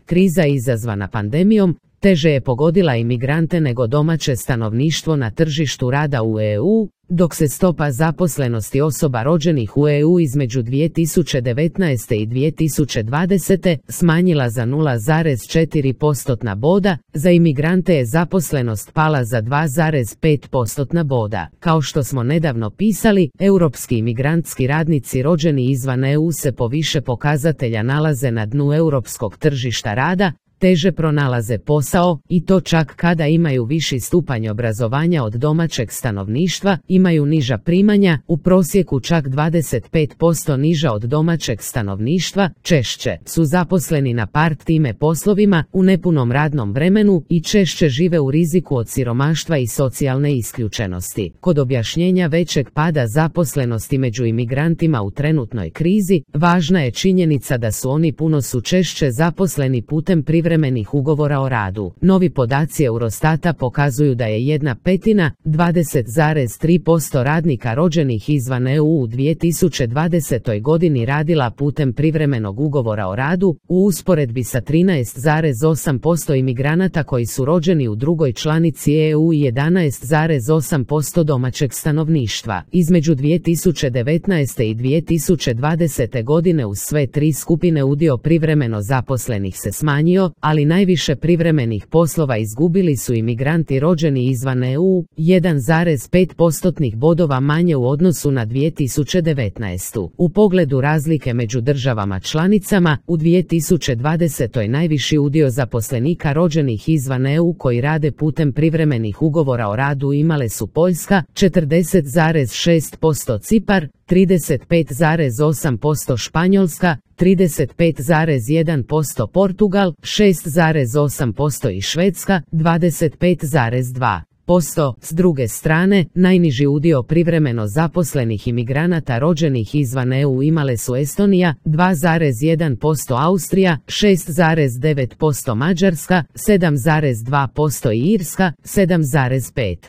Kriza izazvana pandemijom teže je pogodila imigrante nego domaće stanovništvo na tržištu rada u EU, dok se stopa zaposlenosti osoba rođenih u EU između 2019. i 2020. smanjila za 0,4% boda, za imigrante je zaposlenost pala za 2,5% boda. Kao što smo nedavno pisali, europski imigrantski radnici rođeni izvan EU se po više pokazatelja nalaze na dnu europskog tržišta rada, teže pronalaze posao, i to čak kada imaju viši stupanj obrazovanja od domaćeg stanovništva, imaju niža primanja, u prosjeku čak 25% niža od domaćeg stanovništva, češće su zaposleni na part-time poslovima, u nepunom radnom vremenu i češće žive u riziku od siromaštva i socijalne isključenosti. Kod objašnjenja većeg pada zaposlenosti među imigrantima u trenutnoj krizi, važna je činjenica da su oni puno češće zaposleni putem privremenih ugovora o radu. Novi podaci Eurostata pokazuju da je 1/5, 20,3% radnika rođenih izvan EU u 2020. godini radila putem privremenog ugovora o radu, u usporedbi sa 13,8% imigranata koji su rođeni u drugoj članici EU i 11,8% domaćeg stanovništva. Između 2019. i 2020. godine u sve tri skupine udio privremeno zaposlenih se smanjio, ali najviše privremenih poslova izgubili su imigranti rođeni izvan EU, 1,5% bodova manje u odnosu na 2019. U pogledu razlike među državama članicama, u 2020. najviši udio zaposlenika rođenih izvan EU koji rade putem privremenih ugovora o radu imale su Poljska, 40,6%, Cipar, 35,8%, Španjolska, 35,1%, Portugal, 6,8% i Švedska, 25,2%. S druge strane, najniži udio privremeno zaposlenih imigranata rođenih izvan EU imale su Estonija, 2,1%, Austrija, 6,9%, Mađarska, 7,2% i Irska, 7,5%.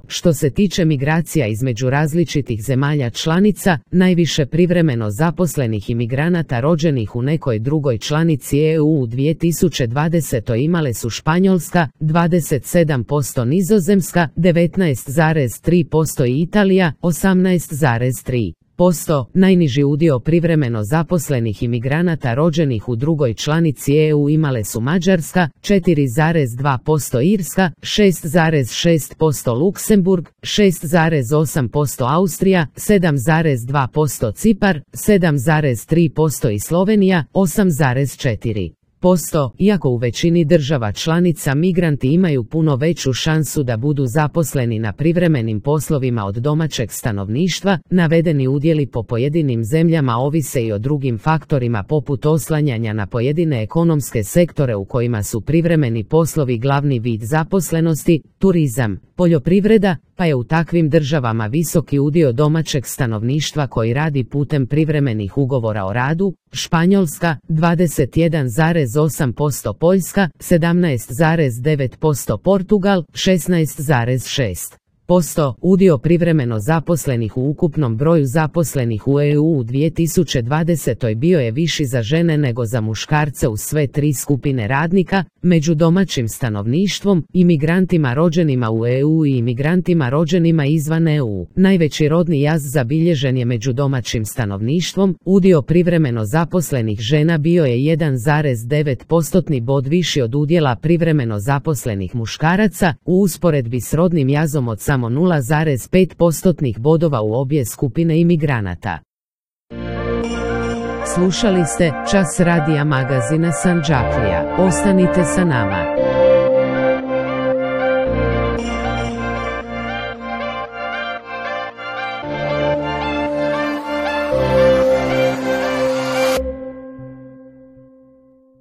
Što se tiče migracija između različitih zemalja članica, najviše privremeno zaposlenih imigranata rođenih u nekoj drugoj članici EU u 2020. imale su Španjolska, 27%, Nizozemska, 19,3% i Italija, 18,3%. Najniži udio privremeno zaposlenih imigranata rođenih u drugoj članici EU imale su Mađarska, 4,2%, Irska, 6,6%, Luksemburg, 6,8%, Austrija, 7,2%, Cipar, 7,3% i Slovenija, 8,4%. Iako u većini država članica migranti imaju puno veću šansu da budu zaposleni na privremenim poslovima od domaćeg stanovništva, navedeni udjeli po pojedinim zemljama ovise i o drugim faktorima poput oslanjanja na pojedine ekonomske sektore u kojima su privremeni poslovi glavni vid zaposlenosti, turizam, poljoprivreda, pa je u takvim državama visoki udio domaćeg stanovništva koji radi putem privremenih ugovora o radu, Španjolska, 21,8%, Poljska, 17,9%, Portugal, 16,6%. Udio privremeno zaposlenih u ukupnom broju zaposlenih u EU u 2020. bio je viši za žene nego za muškarce u sve tri skupine radnika, među domaćim stanovništvom, imigrantima rođenima u EU i imigrantima rođenima izvan EU. Najveći rodni jaz zabilježen je među domaćim stanovništvom, udio privremeno zaposlenih žena bio je 1,9% bod viši od udjela privremeno zaposlenih muškaraca, u usporedbi s rodnim jazom od samo 0,5% bodova u obje skupine imigranata. Slušali ste Čas radija magazina Sandžaklija. Ostanite sa nama.